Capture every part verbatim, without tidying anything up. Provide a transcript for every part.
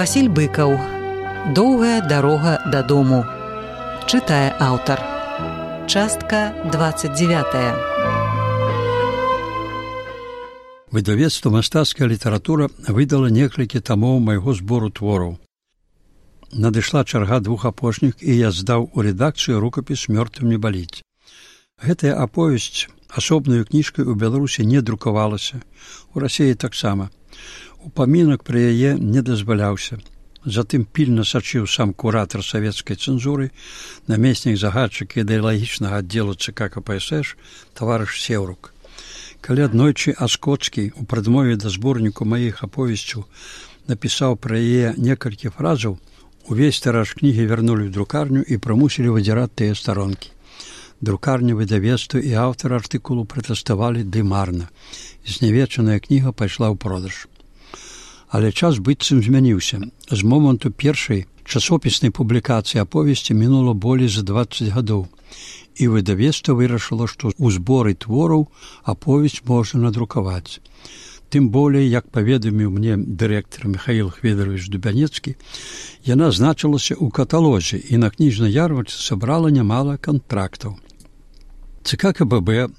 Васіль Быкаў. Доўгая дарога дадому. Чытае аўтар. Частка двадцать девятая. Выдавецтва «Мастацкая літаратура» выдала некалькі тамоў майго збору твораў. Надышла чарга двух апошніх, і я здаў у рэдакцыю рукапіс «Мёртвым не баліць». Гэтая аповесць асобнаю кніжкай у Беларусі не друкавалася, у Расіі таксама. Упамінак пра яе не дазваляўся. Затым пільна сачыў сам куратар савецкай цэнзуры, намеснік загадчыка ідэалагічнага аддзелу ЦК КПСС таварыш Сеўрук. Калі аднойчы Аскоцкі у прадмове да зборніку маіх аповесцяў напісаў пра яе некалькі фразаў, увесь тыраж кнігі вярнулі ў друкарню і прымусілі выдзіраць тыя старонкі. Друкарня, выдавецтва і аўтар артыкулу пратэставалі ды марна. Знявечаная кніга пайшла ў продаж. Але час быццам змяніўся. З моманту першай часопіснай публікацыі аповесці мінула болей за дваццаць гадоў. І выдавецтва вырашыла, што ў зборы твораў аповесць можна надрукаваць. Тым болей, як паведаміў мне дырэктар Міхаіл Хведравіч Дубянецкі, яна значылася ў каталозе і на кніжнай ярмарцы сабрала нямала кантрактаў. ЦК КББ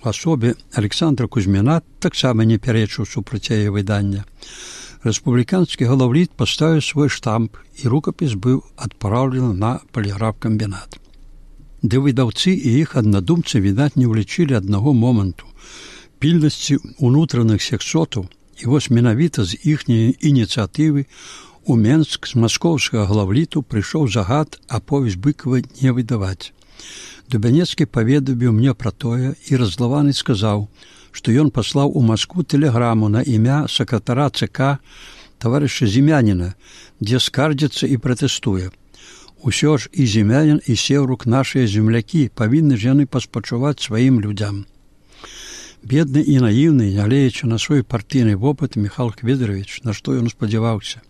у асобе Александра Кузьміна таксама не пярэчыў супраць яе выдання. Рэспубліканскі галаўліт паставіў свой штамп, і рукапіс быў адпраўлены на паліграфкамбінат. Ды выдаўцы і іх аднадумцы, відаць, не ўлічылі аднаго моманту – пільнасці ўнутраных сексотаў, і вось менавіта з іхняй ініцыятывы у Менск з маскоўскага главліту прыйшоў загад аповесць Быкава не выдаваць. Дубянецкі паведаміў мне пра тое і раззлаваны сказаў, што ён паслаў у Маскву тэлеграму на імя сакратара ЦК таварыша Зімяніна, дзе скардзіцца і пратэстуе. Усё ж і Зімянін, і Сеўрук нашыя землякі, павінны ж яны паспачуваць сваім людзям. Бедны і наіўны, нягледзячы на свой партыйны вопыт, Міхаіл Хведравіч, на што ён спадзяваўся.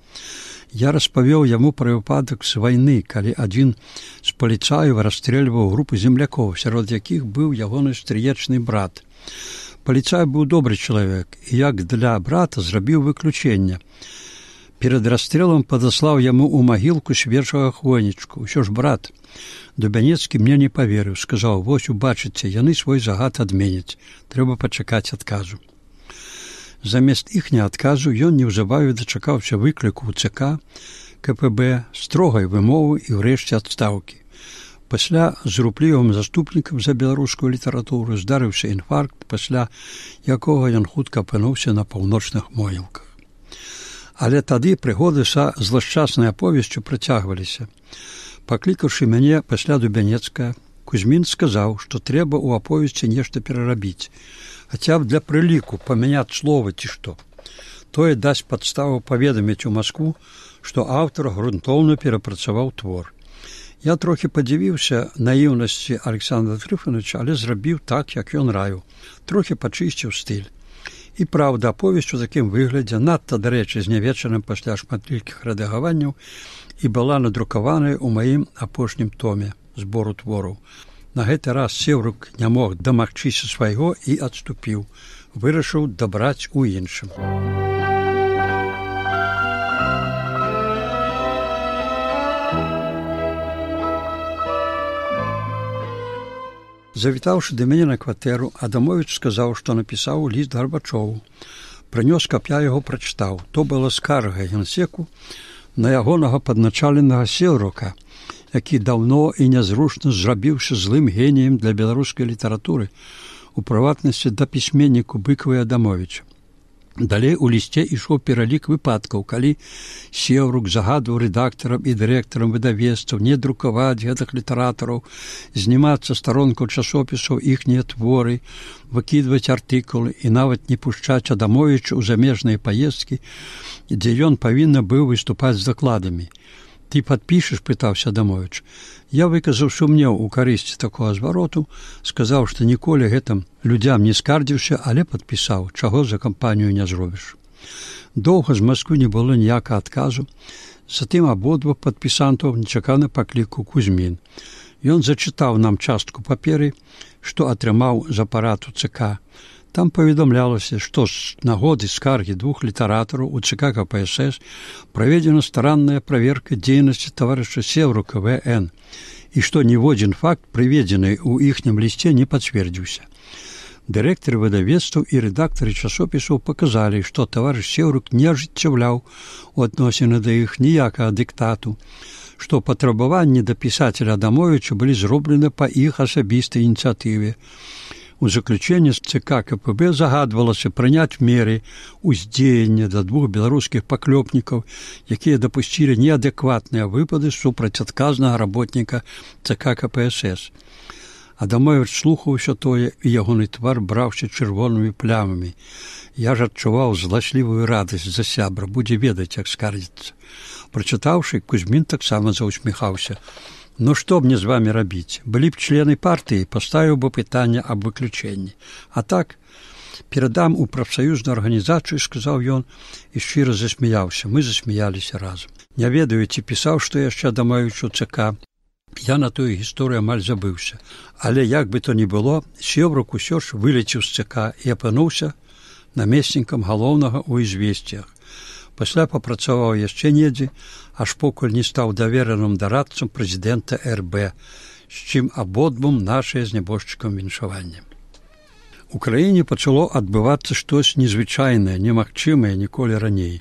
Я распавёў яму пра выпадак з вайны, калі адзін з паліцаяў расстрэльваў групу землякоў, сярод якіх быў ягоны стрыечны брат. Паліцай быў добры чалавек, і як для брата зрабіў выключэнне. Перад расстрэлам падаслаў яму ў магілку свежага хвойнічку. Усё ж брат. Дубянецкі мне не паверыў, сказаў: «Вось, убачыце, яны свой загад адменяць. Трэба пачакаць адказу». Замест іхняга адказу ён неўзабаве дачакаўся выкліку ў ЦК КПБ, строгай вымовы і ўрэшце адстаўкі. Пасля з руплівым заступнікам за беларускую літаратуру здарыўся інфаркт, пасля якога ён хутка апынуўся на паўночных могілках. Але тады прыгоды са злашчаснай аповесцю працягваліся. Паклікаўшы мяне пасля Дубянецкага, Кузьмін сказаў, што трэба ў аповесці нешта перарабіць, хаця б для прыліку памяняць словы ці што. Тое дасць падставу паведаміць у Маскву, што аўтар грунтоўна перапрацаваў твор. Я трохі падзівіўся наіўнасці Александра Трыфановича, але зрабіў так, як ён раіў. Трохі пачысціў стыль. І праўда, аповесць у такім выглядзе, надта, дарэчы, знявечаным пасля шматлікіх рэдагаванняў, і была надрукаваная ў маім апошнім томе збору твораў. На гэты раз Сеўрук не мог дамагчыся свайго і адступіў. Вырашыў дабраць у іншым. Завітаўшы да мяне на кватэру, Адамовіч сказаў, што напісаў ліст Гарбачову. Прынёс, каб я яго прачытаў. То была скарга генсеку на ягонага падначаленага Сеўрука, які даўно і нязручна зрабіўся злым геніем для беларускай літаратуры, у прыватнасці да пісьменніку Быкава і Адамовіча. Далей у лісце ішоў пералік выпадкаў, калі Сеўрук загадваў рэдактарам і дырэктарам выдавецтваў не друкаваць гэтых літаратараў, знімаць са старонкаў часопісаў іхнія творы, выкідваць артыкулы і нават не пушчаць Адамовіча ў замежныя паездкі, дзе ён павінен быў выступаць з дакладамі. «Ты падпішаш?» – пытаўся Адамовіч. Я выказаў сумнеў у карысці такога звароту, сказаў, што ніколі гэтым людзям не скардзіўся, але падпісаў, чаго за кампанію не зробіш. Доўга з Масквы не было ніякага адказу, затым абодва падпісантаў нечакана паклікаў Кузьмін. Ён зачытаў нам частку паперы, што атрымаў з апарату ЦК. Там паведамлялася, што з нагоды скаргі двух літаратараў у ЦК КПСС праведзена старанная праверка дзейнасці таварыша Севрука В Н і што ніводзін факт, прыведзены ў іхнім лісце, не пацвердзіўся. Дырэктары выдавецтваў і рэдактары часопісаў паказалі, што таварыш Севрук не ажыццяўляў у адносіны да іх ніякага дыктату, што патрабаванні да пісацеля Адамовіча былі зроблены па іх асабістай ініцыятыве. У заключэнні з ЦК КПБ загадвалася прыняць меры ўздзеяння да двух беларускіх паклёпнікаў, якія дапусцілі неадэкватныя выпады супраць адказнага работніка ЦК КПСС. Адамовіч слухаў усё тое, і ягоны твар браўся чырвонымі плямамі. Я ж адчуваў зласлівую радасць за сябра, будзе ведаць, як скардзіцца. Прачытаўшы, Кузьмін таксама заўсміхаўся. «Ну што мне з вамі рабіць? Былі б члены партыі, паставіў бы пытанне аб выключэнні. А так, перадам у прафсаюзную арганізацыю», – сказаў ён і шчыра засмяяўся. Мы засмяяліся разам. Не ведаю, ці пісаў, што яшчэ Адамовічу ЦК. Я на тую гісторыю амаль забыўся. Але як бы то ні было, Севрук усё ж вылецеў з ЦК і апынуўся намеснікам галоўнага ў «Ізвесціях». Пасля папрацаваў яшчэ недзе, аж покуль не стаў давераным дарадцам прэзідэнта Эр Бэ, з чым абодвум нашае з нябожчыкам віншаванне. У краіне пачало адбывацца штось незвычайнае, немагчымае ніколі раней.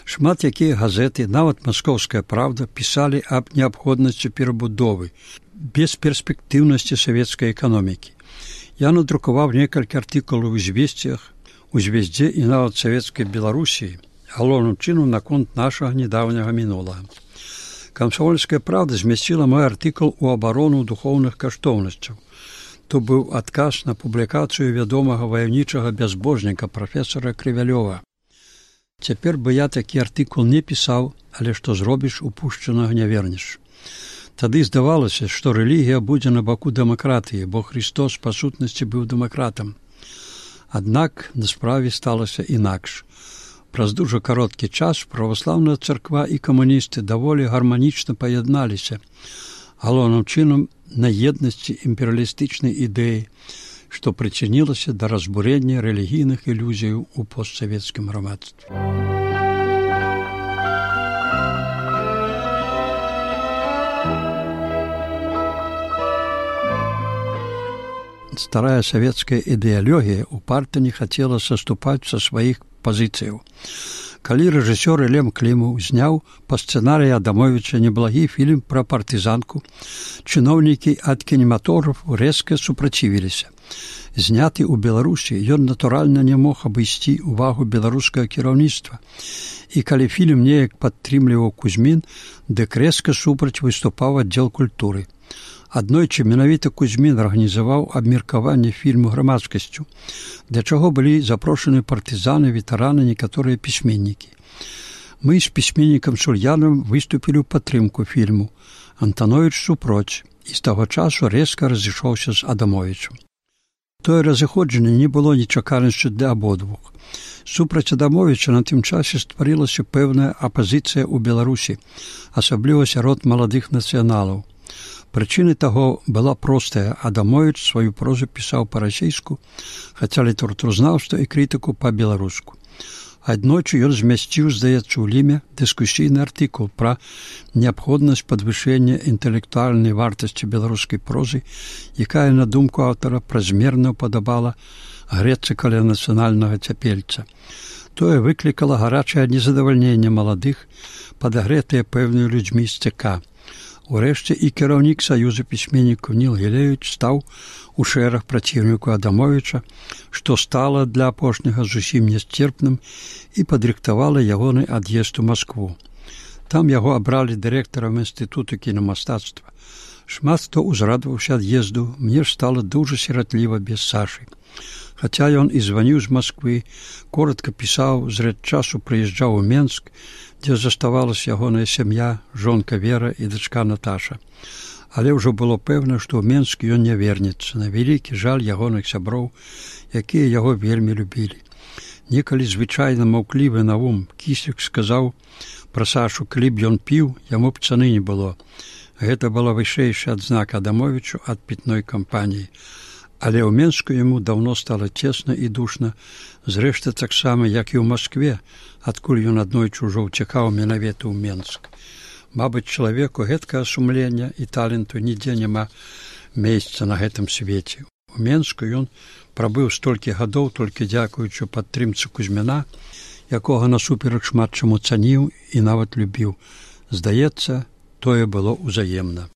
Шмат якія газеты, нават «Маскоўская правда», пісалі аб неабходнасці перабудовы, бесперспектыўнасці савецкай эканомікі. Я надрукаваў некалькі артыкулаў у «Ізвесціях», у «Звездзе» і нават савецкай Беларусіі, галоўным чынам наконт нашага нядаўняга мінулага. «Камсомольская правда» змясціла мой артыкул у абарону духоўных каштоўнасцяў. То быў адказ на публікацыю вядомага ваяўнічага бязбожніка прафесара Крывялёва. Цяпер бы я такі артыкул не пісаў, але што зробіш, упушчанага не вернеш. Тады здавалася, што рэлігія будзе на баку дэмакратыі, бо Христос па сутнасці быў дэмакратам. Аднак на справе сталася інакш. Праз дужа кароткі час праваслаўная царква і камуністы даволі гарманічна паядналіся, галоўным чынам на еднасці імперыялістычнай ідэі, што прычынілася да разбурення рэлігійных ілюзіяў у постсавецкім грамадстве. Старая савецкая ідэалогія упарта не хацела саступаць са сваіх пазіцыяў. Калі рэжысёр Лем Клімаў зняў па сцэнарыі Адамовіча неблагі фільм пра партызанку, чыноўнікі ад кінематографу рэзка супрацівіліся. Зняты ў Беларусі, ён натуральна не мог абысці увагу беларускага кіраўніцтва. І калі фільм неяк падтрымліваў Кузьмін, дык рэзка супраць выступаў аддзел культуры. Аднойчы менавіта Кузьмін арганізаваў абмеркаванне фільму грамадскасцю, для чаго былі запрошаны партызаны, ветэраны, некаторыя пісьменнікі. Мы з пісьменнікам Сульянам выступілі ў падтрымку фільму, Антановіч супроць, і з таго часу рэзка разышоўся з Адамовічам. Тое разыходжанне не было нечаканасцю для абодвух. Супраць Адамовіча на тым часе стварылася пэўная апазіцыя ў Беларусі, асабліва сярод маладых нацыяналаў. Прычыны таго была простая. Адамовіч сваю прозу пісаў па-расейску, хаця літаратуразнаўства і крытыку па-беларуску. Аднойчы ён змясціў, здаецца, у Ліме дыскусійны артыкул пра неабходнасць падвышэння інтэлектуальнай вартасці беларускай прозы, якая, на думку аўтара, празмерна ўпадабала грэцца каля нацыянальнага цяпельца. Тое выклікала гарачае незадавальненне маладых, падагрэтыя пэўнымі людзьмі з ЦК. Урэшце і кіраўнік Саюза пісьменнікаў Ніл Гілевіч стаў у шэраг праціўніку Адамовіча, што стала для апошняга зусім нясцерпным і падрыхтавала ягоны ад'езд у Маскву. Там яго абралі дырэктарам інстытуту кінамастацтва. Шмат хто ўзрадаваўся ад'езду, мне ж стала дужа сіратліва без Сашы. Хаця ён і званіў з Масквы, коратка пісаў, зрэд часу прыязджаў у Менск, дзе заставалася ягоная сям'я, жонка Вера і дачка Наташа. Але ўжо было пэўна, што ў Менск ён не вернецца, на вялікі жаль ягоных сяброў, якія яго вельмі любілі. Некалі звычайна маўклівы Наум Кісік сказаў пра Сашу, калі б ён піў, яму б цаны не было. Гэта была вышэйшая адзнака Адамовічу ад пітной кампаніі. Але ў Менску яму даўно стала цесна і душна, зрэшты таксама, як і ў Маскве, адкуль ён аднойчы ўжо ўцякаў менавіта ў Менск. Мабыць, чалавеку гэткага сумлення і таленту нідзе няма месца на гэтым свеце. У Менску ён прабыў столькі гадоў толькі дзякуючы падтрымцы Кузьміна, якога насуперак шмат чаму цаніў і нават любіў. Здаецца, тое было ўзаемна.